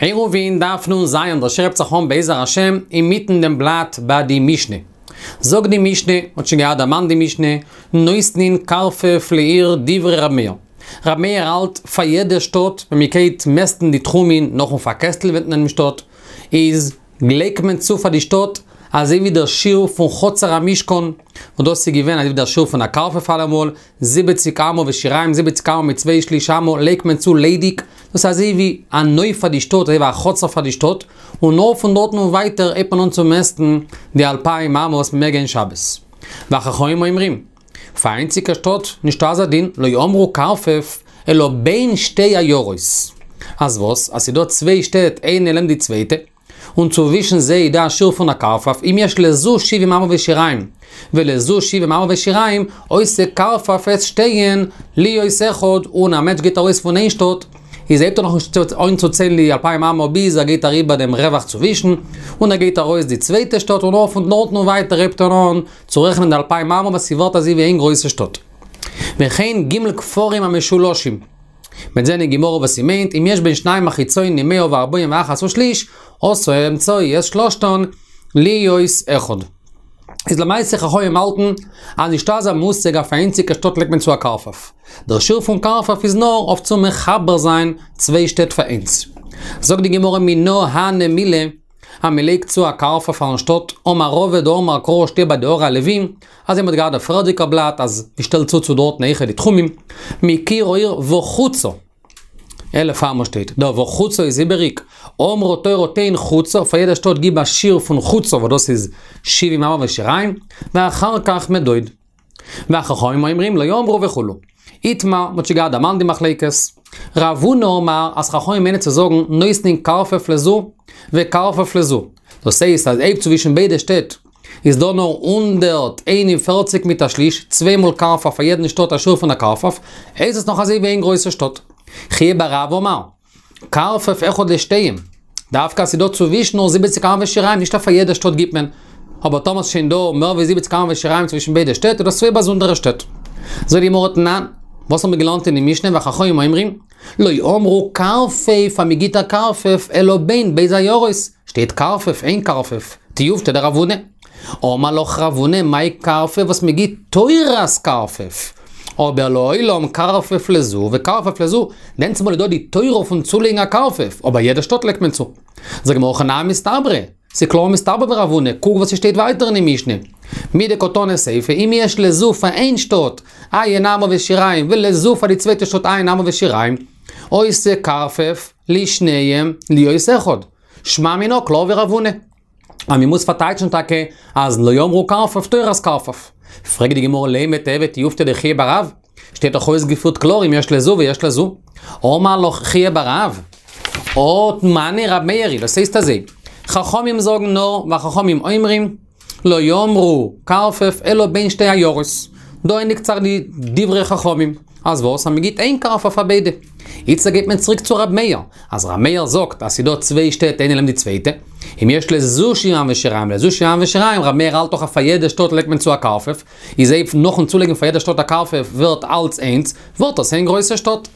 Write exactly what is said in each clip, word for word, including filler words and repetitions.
עירובין דף נ"ז, דער שיעור הייבט זיך אן בעזר השם אינמיטן דעם בלאט ביי די משנה. זאגט די משנה, מ'האט שוין געהאט דערמאנט די משנה, נותנין קרפף לעיר דברי ר' מאיר. ר' מאיר האלט פאר יעדע שטאט ווען מ'גייט מעסטן די תחומין נאכן פארקעסטלווען דעם שטאט, איז לייגט מען צו פאר די שטאט אזוי ווי דער שיעור פון חצר המשכן, און דאס איז געווען אזוי ווי דער שיעור פון א קרפף אלעמאל, זיבעציק אמה ושיריים, זיבעציק אמה מיט צוויי שליש אמה, לייגט מען צו ליידיג, דאס איז אזוי ווי א נוף פאר די שטאט, אזוי ווי א חצר פאר די שטאט, און נאר פון דארטן און ווייטער הייבט מען אן צו מעסטן די אלפיים אמה וואס מ'מעג גיין שבת. והחכמים אומרים, פאר איינציגע שטאט נישטא אזא דין, לא אמרו קרפף, אלא בין שתי עיירות. אז וואס? אז ס'דא צוויי שטעט איינע לעבן די צווייטע, און צווישן זיי איז דא א שיעור פון א קרפף, אם יש לזו שבעים אמה ושיריים, ולזו שבעים אמה ושיריים, עושה קרפף את שתיהן להיות אחד, און א מענטש גייט ארויס פון איין שטאט, איז הייבט ער נאכנישט אן צו ציילן די אלפיים אמה ביז ער גייט אריבער דעם רווח צווישן, און ער גייט ארויס די צווייטע שטאט און נאר פון דארטן און ווייטער הייבט ער אן צו רעכענען די אלפיים אמה וואס ס'ווערט אזוי ווי איין גרויסע שטאט. וכן ג' כפרים המשולשים. מ'וועט זען אין גמרא וואס ס'מיינט, אם יש בין שניים החיצונים מאה וארבעים ואחת ושליש, עשה האמצעי את שלושתן להיות אחד. איז למעשה חכמים האלטן אז נישטא אזא מושג אויף א איינציגע שטאט לייגט מען צו א קרפף. דער שיעור פון קרפף איז נאר אויף צו מחבר זיין צוויי שטעט פאר איינס. זאגט די גמרא מנא הני מילי אז מען לייגט צו א קרפף פארן שטאט, אמר רבא דאמר קרא שטייט ביי די ערי הלוים, אזוי מ'האט געהאט די פריערדיגע בלאט אז מ'שטעלט צו צו דארטן אויכעט די תחומים, מקיר העיר וחוצה. אלף אמה שטייט, דער וחוצה איז איבעריג, אמרה תורה תן חוצה, פאר יעדע שטאט גיב א שיעור פון חוצה וואס דאס איז שבעים אמה ושיריים, ואחר כך מדוד. והחכמים אומרים לא אמרו וכו'. איתמר, מ'האט שוין געהאט דערמאנט די מחלוקת. רב הונא אמר אז חכמים מיינען צו זאגן נותנין קרפף לזו וקרפף לזו. דאס הייסט אז אויב צווישן ביידע שטעט איז דא נאר הונדערט איין און פֿערציק מיט א שליש, צוויי מאל קרפף פאר יעדן שטאט א שיעור פון א קרפף, איז עס נאך אזוי ווי איין גרויסע שטאט. חייא בר רב אמר, קרפף אחד לשתיהן, דווקא אז ס'איז דא צווישן נאר זיבעציק אמה ושיריים, נישט אז פאר יעדע שטאט גיבט מען, אבער טאמער ס'איז שוין דא מער ווי זיבעציק אמה ושיריים צווישן ביידע שטעט איז דאס צוויי באזונדערע שטעט. זאגט די גמרא תנן, וואס האבן מיר געלערנט אין די משנה והחכמים אומרים, לא אמרו קרפף אז מ'גיט א קרפף אלא בין ב' עיירות, שטייט קרפף איין קרפף, תיובתא דרב הונא. אמר לך רב הונא מאי קרפף וואס מ'גיט תורת קרפף, אבער לעולם קרפף לזו וקרפף לזו, דענסמאל איז דא די תורה פון צולייגן א קרפף, אבער יעדע שטאט לייגט מען צו. זאגט די גמרא הכי נמי מסתברא, ס'איז קלאר מסתבר ווי רב הונא, קוק וואס ס'שטייט ווייטער אין די משנה. מדקתני סיפא, אם יש לזו פאר איין שטאט, עיין אמה ושיריים, ולזו פאר די צווייטע שטאט עיין אמה ושיריים, עושה קרפף לשניהם להיות אחד. שמע מינה קלאר ווי רב הונא. אז מ'מוז פארטייטשן טאקע אז לא אמרו קרפף תורת קרפף. פרעגט די גמרא לימא תיהוי תיובתא דחייא בר רב, שטייט דאך אויסגעפירט קלאר אם יש לזו ויש לזו. אמר לך חייא בר רב, הא מני רב מאיר היא, דאס הייסט אזוי, חכמים זאגן נאר והחכמים אומרים, לא אמרו קרפף אלא בין שתי עיירות. דא ענדיגט זיך די דברי חכמים. אז וואס? אז מ'גיט איין קרפף פאר ביידע. איצטער גייט מען צוריק צו ר' מאיר. אז ר' מאיר זאגט אז ס'דא צוויי שטעט איינע לעבן די צווייטע. אם יש לזו שבעים אמה ושיריים ולזו שבעים אמה ושיריים, ר' מאיר האלט דאך אז פאר יעדע שטאט לייגט מען צו א קרפף. איז אויב נאכן צולייגן פאר יעדע שטאט א קרפף ווערט אלץ איינס, ווערט עס איין גרויסע שטאט.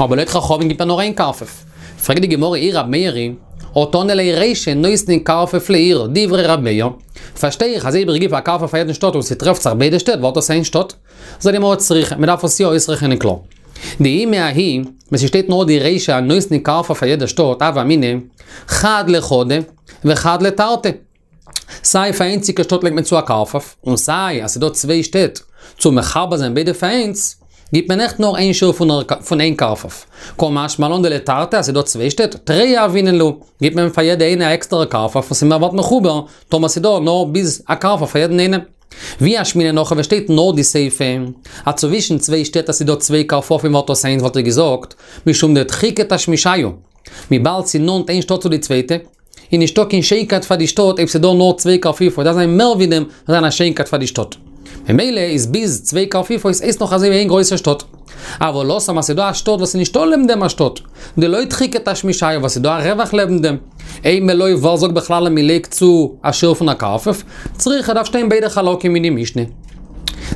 אבער לויט חכמים גיבט מען נאר איין קרפף. פרעגט די גמרא אי רב מאיר היא, הא תנא ליה רישא נותנין קרפף לעיר, דברי רב מאיר. פארשטיי איך אז אויב איך גיב א קרפף פאר יעדן שטאט און ס'טרעפט זיך ביידע שטעט ווערט עס איין שטאט. זאגט די גמרא צריכא, מ'דארף עס יא אויסרעכענען קלאר. דאי מההיא, ווען ס'שטייט נאר די רישא נותנין קרפף פאר יעדע שטאט, הוה אמינא, חד לחדא וחד לתרתי. סיי פאר איינציגע שטאט לייגט מען צו א קרפף, און סיי אז ס'דא צוויי שטעט צו מחבר זיין ביידע פאר איינס, גיבט מען עכט נאר איין שיעור פון איין קרפף. קא משמע לן דלתרתי אז ס'דא צוויי שטעט, תרי יהבינן להו, גיבט מען פאר יעדע איינע א עקסטערע קרפף וואס איז מער ווערט מחובר, טאמער ס'דא נאר ביז א קרפף פאר יעדן איינעם. ואי אשמעינן הכא ווען שטייט נאר די סיפא, אז צווישן צוויי שטעט אז ס'דא צוויי קרפפים ווערט דאס איינס וואלט איך געזאגט, משום דדחיקא תשמישייהו, וויבאלד ס'נאנט איין שטאט צו די צווייטע, איז נישטא קיין שיינקייט פאר די שטאט אויב ס'דא נאר צוויי קרפיפות, דארף זיין מער ווי דעם, דארף זיין א שיינקייט פאר די שטאט. ממילא איז ביז צוויי קרפיפות הייסט נאך אזוי ווי איין גרויסע שטאט. אבל התם אז ס'דא א שטאט וואס איז נישטא לעבן דעם א שטאט, דלא דחיקא תשמישייהו וואס ס'דא א רווח לעבן דעם, אימא לא ווער זאגט בכלל אז מ'לייגט צו א שיעור פון א קרפף, צריכא דארף שטיין ביידע חלקים אין די משנה.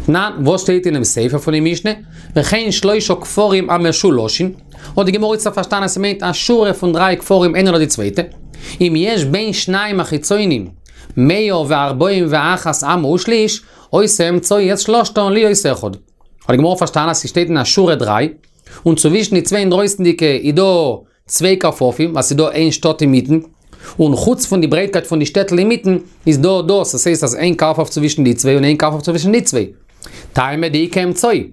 תנן, וואס שטייט אינעם סיפא פון די משנה? וכן שלושה כפרים המשולשין. האט די גמרא איצטער פארשטאנען אז ס'מיינט א שורה פון דריי כפרים איינע נאך די צווייטע. אם יש בין שניים החיצונים מאה וארבעים ואחת אמה ושליש, עושה אמצעי את שלושתן להיות אחד. האט די גמרא פארשטאנען אז ס'שטייט אין א שורה דריי, און צווישן די צוויי אינדרויסנדיגע איז דא צוויי כרפפים, ווייל ס'איז דא איין שטאט אינמיטן, און חוץ פון די ברייטקייט פון די שטעטל אינמיטן, איז דא דאס, עס הייסט אז איין כרפף צווישן די צוויי און איין כרפף צווישן די צוויי. טעמא דאיכא אמצעי.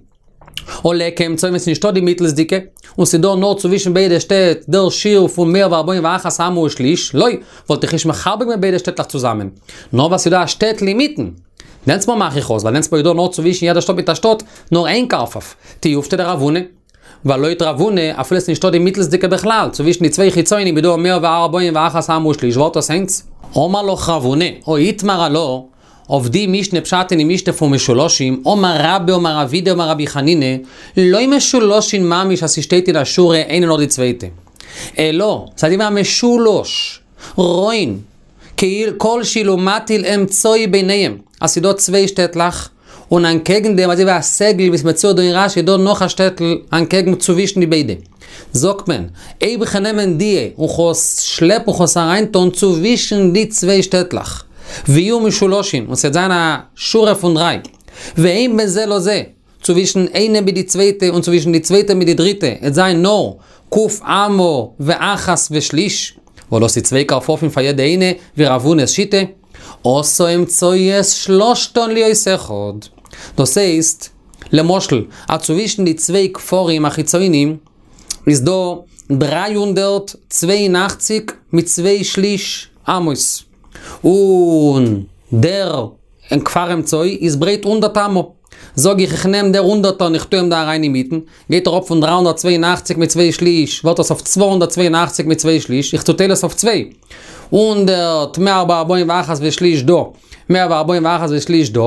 הא ליכא אמצעי ווען ס'איז נישטא די מיטלסדיגע, און ס'איז דא נאר צווישן ביידע שטעט דער שיעור פון מאה וארבעים ואחת אמה ושליש, לא, וואלט איך נישט מחבר געווען ביידע שטעטלעך צוזאמען. נאר ווייל ס'איז דא א שטעטל אינמיטן. דענסטמאל מאך איך אויס, ווייל דענסטמאל איז דא נאר צווישן יעדע שטאט מיט א שטאט נאר איין כרפף. תיובתא דרב הונא. ווייל לויט רב הונא, אפילו ס'איז נישטא די מיטלסדיגע בכלל, צווישן די צוויי חיצונים איז דא מאה וארבעים ואחת אמה ושליש, ווערט דאס איינס. אמר לך רב הונא, הא איתמר עלה, אויף די משנה פשט אין די משנה פון משולשים, אמר רבה אמר רב אידי אמר רבי חנינא, לא משולשין ממש אז ס'שטייט אין א שורה איינע נאך די צווייטע. אלא, ס'איז ווי א משולש, רואין, כאילו כל שאילו מטיל אמצעי ביניהם, אז ס'איז דא צוויי שטעטלעך, און אנטקעגן דעם אזוי ווי א סגול ווי ס'מצוייר דא אין רש"י איז דא נאך א שטעטל אנטקעגן צווישן די ביידע. זאגט מען, אויב איך נעמען דיע און כ'וועל שלעפן און כ'וועל עס אריינטון צווישן די צוויי שטעטלעך, ויהיו משולשים, און ס'וועט זיין א שורה פון דריי, ואין בין זה לזה, צווישן איינע מיט די צווייטע און צווישן די צווייטע מיט די דריטע, עט זיין נאר ק' אמה ואחת ושליש, וואס דאס איז צוויי כרפפים פאר יעדע איינע, ווי רב הונא'ס שיטה, עשה אמצעי את שלשתן להיות אחד. דאס הייסט, למשל, אז צווישן די צוויי כפרים החיצונים איז דא דרײַ הונדערט צוויי און אַכציק מיט צוויי שליש אמות, און דער כפר אמצעי איז ברייט הונדערט אמה. זאג איך, איך נעם דער הונדערטער און איך טו אים דא אריין אינמיטן, גייט אראפ פון דרײַ הונדערט צוויי און אַכציק מיט צוויי שליש, ווערט עס אויף צוויי הונדערט צוויי און אַכציק מיט צוויי שליש, איך צוטייל עס אויף צוויי. הונדערט מאה וארבעים ואחת ושליש דא, מאה וארבעים ואחת ושליש דא,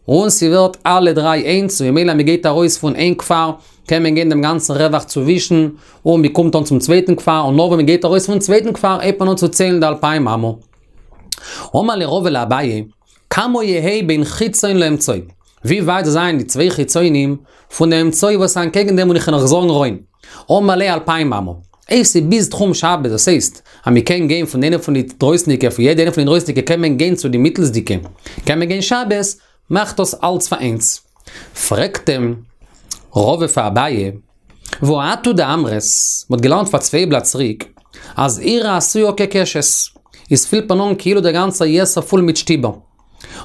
און ס'ווערט אלע דריי איינס, און ממילא מ'גייט ארויס פון איין כפר, קען מען גיין דעם גאנצן רווח צווישן, און מ'קומט אן צום צווייטן כפר, און נאר ווען מ'גייט ארויס פון צווייטן כפר הייבט מען אן צו ציילן די אלפיים אמה. אמר ליה רבא לאביי, כמה יהא בין חיצון לאמצעי? ווי ווייט זאל זיין די צוויי חיצונים פון די אמצעי וואס איז אנטקעגן דעם און איך קען נאך זאגן רואין? אמר ליה אלפיים אמה. אויב ס'איז ביז תחום שבת, דאס הייסט אז מ'קען גיין פון איינע פון די דרויסנדיגע, פון יעדע איינע פון די דרויסנדיגע קען מען גיין צו די מיטלסדיגע, קען מען גיין שבת, מאכט דאס אלץ פאר איינס. פרעגט אים רבא פאר אביי, והא את הוא דאמרת, מ'האט געלערנט פאר צוויי בלאט צוריק, אז עיר העשויה כקשת, איז פילט מען אן כאילו דער גאנצער יתר פול מיט שטיבער.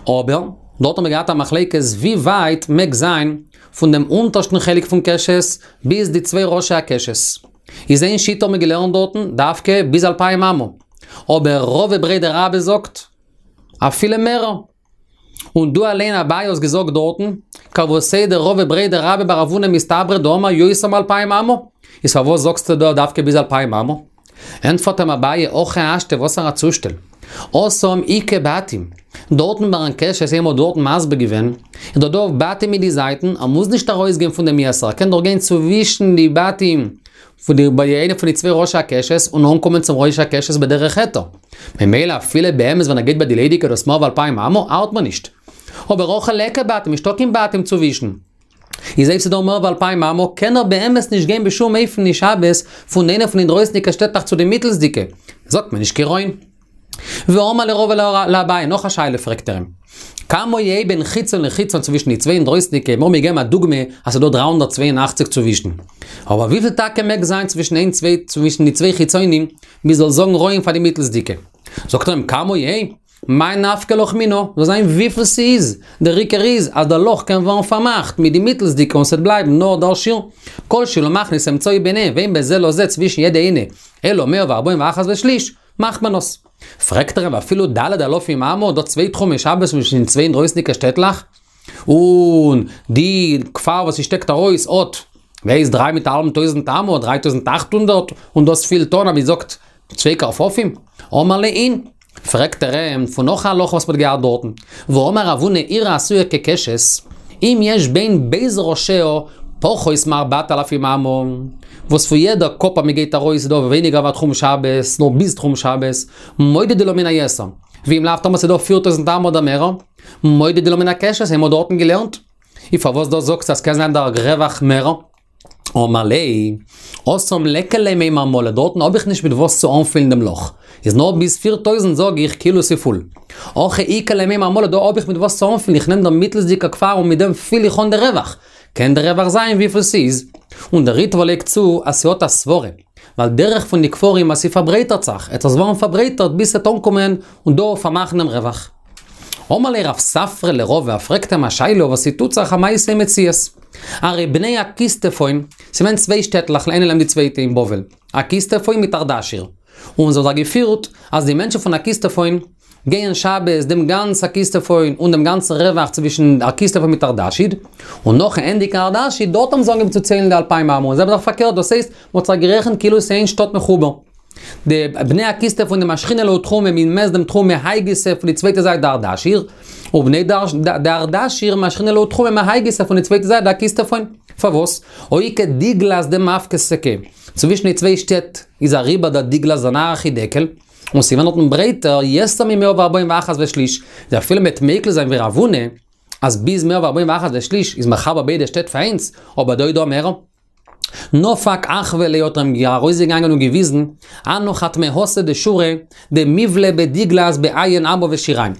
אבער, דארט האט מען געהאט א מחלוקת ווי ווייט מעג זיין פון דעם אונטערשטן חלק פון קשת ביז די צוויי ראשי הקשת. איז איין שיטה האט מען געלערנט דארטן דווקא ביז אלפיים אמה. אבער רבא בריה דרבה זאגט אפילו מערער. און דו אליין אביי האסט געזאגט דארטן, כוותיה דרבא בריה דרבה בר רב הונא מסתברא דאמר יותר מאלפיים אמה, איז פארוואס זאגסטו דא דווקא ביז אלפיים אמה? ענטפערט אים אביי, הכי השתא וואסערע א צושטעל? התם איכא בתים, דארטן ביין קשת ווי מ'האט דארטן מסביר געווען, איז דא דא בתים אין די זייטן, ער מוז נישט ארויסגיין פון דעם יתר, ער קען דאך גיין צווישן די בתים, פון די ביי איינע פון די צוויי ראשי הקשת און אנקומען צום ראש הקשת בדרך היתר. ממילא אפילו באמת ווען ער גייט ביי די ליידיגע דאס מער ווי אלפיים אמה ארט מיר נישט. אבער הכא ליכא בתים נישטא קיין בתים צווישן. איז אויב ס'דא מער ווי אלפיים אמה קען ער באמת נישט גיין בשום אופן אין שבת פון איינע פון די דרויסנדיגע שטעטלעך צו די מיטלסדיגע. זאגט מען נישט קיין רואין. ואמר ליה רבא לאביי, נאך א שאלה פרעגט ער אים. כמה יהא בין חיצון לחיצון צווישן די צוויי אינדרויסנדיגע, מיר האבן געגעבן א דוגמא אז ס'איז דא דרײַ הונדערט צוויי און אַכציק צווישן. אבער וויפיל טאקע מעג זיין צווישן איין צוויי צווישן די צוויי חיצונים מ'זאל זאגן רואין פאר די מיטלסדיגע? זאגט ער אים כמה יהא, מאי נפקא לך מינה, זאל זיין וויפיל ס'איז, דער עיקר איז אז דער לאך קען ווערן פארמאכט מיט די מיטלסדיגע און ס'וועט בלייבן נאר דער שיעור, כל שלא מכניס אמצעי ביניהם ואין בין זה לזה צווישן יעדע איינע אלא מאה וארבעים ואחת ושליש, מאכט מען עס. פרעגט ער אים אפילו ד' אלפים אמה דא צוויי תחומי שבת צווישן צוויי אינדרויסנדיגע שטעטלעך, און די כפר וואס ס'שטעקט ארויס האט ווייס דריי מיט א האלבן טויזנט אמה, דריי טויזנט אכט הונדערט, און דאס פילט אן אז מ'זאגט צוויי כרפפים, אמר ליה אין. פרעגט ער אים פון נאך א הלכה וואס מ'האט געהאט דארטן, והאמר רב הונא עיר העשויה כקשת, אם יש בין ב' ראשיה פחות מארבעת אלפים אמה, וואס פון יעדע קאפ אז מ'גייט ארויס איז דא ווייניגער ווי א תחום שבת, נאר ביז תחום שבת, מודדין לה מן היתר, ואם לאו טאמער ס'איז דא פיר טויזנט אמה אדער מערער, מודדין לה מן הקשת, האבן מיר דארטן געלערנט. איז פארוואס דא זאגסטו אז ס'קען זיין דער רווח מערער? אמר ליה, התם ליכא למימר מלא, דארטן האב איך נישט מיט וואס צו אנפילן דעם לאך. איז נאר ביז פֿיר טויזנט זאג איך כאילו ס'איז פול. הכא איכא למימר מלא, דא האב איך מיט וואס צו אנפילן, איך נעם דער מיטלסדיגע כפר און מיט דעם פיל איך אן דער רווח. קען דער רווח זיין וויפיל ס'איז. און דער ריטבא לייגט צו אז ס'האט א סברה, ווייל דרך פון די כפרים אז ס'פארברייטערט זיך, עט עס ווערן פארברייטערט ביז ס'עט אנקומען און דא פארמאכן דעם רווח. אמר ליה רב ספרא לרבא, פרעגט אים א שאלה וואס ס'טוט זיך א מעשה אין מציאות. הרי בני אקיסטפון, ס'געווען צוויי שטעטלעך איינע לעבן די צווייטע אין בבל, אקיסטפון מיט ארדשיר, און זיי האבן זיך געפירט אז די מענטשן פון אקיסטפון גייען שבת דעם גאנץ אקיסטפון און דעם גאנצן רווח צווישן אקיסטפון מיט ארדשיר, און נאכן ענדיגן ארדשיר דארט האבן זיי אנגעהויבן צו ציילן די אלפיים אמה, און זיי האבן זיך פארקערט, דאס הייסט, מ'האט זיך גערעכנט כאילו ס'איז איין שטאט מחובר. די בני אקיסטפון דמשכינן להו תחומא מ'איז מעסט דעם תחום מהאי גיסא פון די צווייטע זייט דארדשיר, ובני דארדשיר משכינן להו תחומא מהאי גיסא פון די צווייטע זייט דאקיסטפון. פארוואס? אויקע דגלת דמפקא סכא. צווישן די צוויי שטעט איז אריבער דער דגלת דער נהר החידקל, און ס'איז געווען דארטן ברייטער יותר ממאה וארבעים ואחת ושליש, איז אפילו מ'וועט מיקל זיין ווי רב הונא, אז ביז מאה וארבעים ואחת ושליש איז מחבר ביידע שטעט פאר איינס, אבער דא איז דא מער. נפק אחוה ליה האט ער אים ארויסגעגאנגען און געוויזן, הנא חתמהתא דשורא דמיבלע בדגלת בע' אמה ושיריים.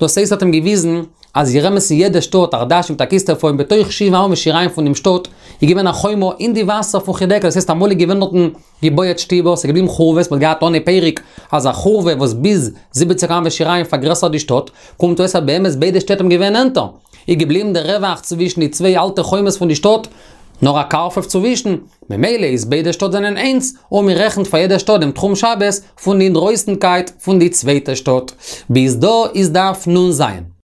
דאס הייסט האט אים געוויזן אז אין אמת אין יעדע שטאט ארדשיר מיט אקיסטפון בתוך שבעה אמה ושיריים פון דעם שטאט איז געווען א חומה אין די וואסער פון חידקל דאס הייסט אמאל איז געווען דארטן געבויעט שטיבער ס'איז געבליבן חורבות מ'האט געהאט אנהייב פרק אז א חורבה וואס ביז זיבעציק אמה ושיריים פארגרעסערט די שטאט קומט אויס אז באמת ביידע שטעט האבן געווען נענטער איז געבליבן דער רווח צווישן די צוויי אלטע חומות פון די שטאט נאר א קרפף צווישן, ממילא איז ביידע שטאט זענען איינס, און מען רעכנט פאר יעדע שטאט דעם תחום שבת פון די אינדרויסנקייט פון די צווייטע שטאט. ביז דא איז דף נ ז.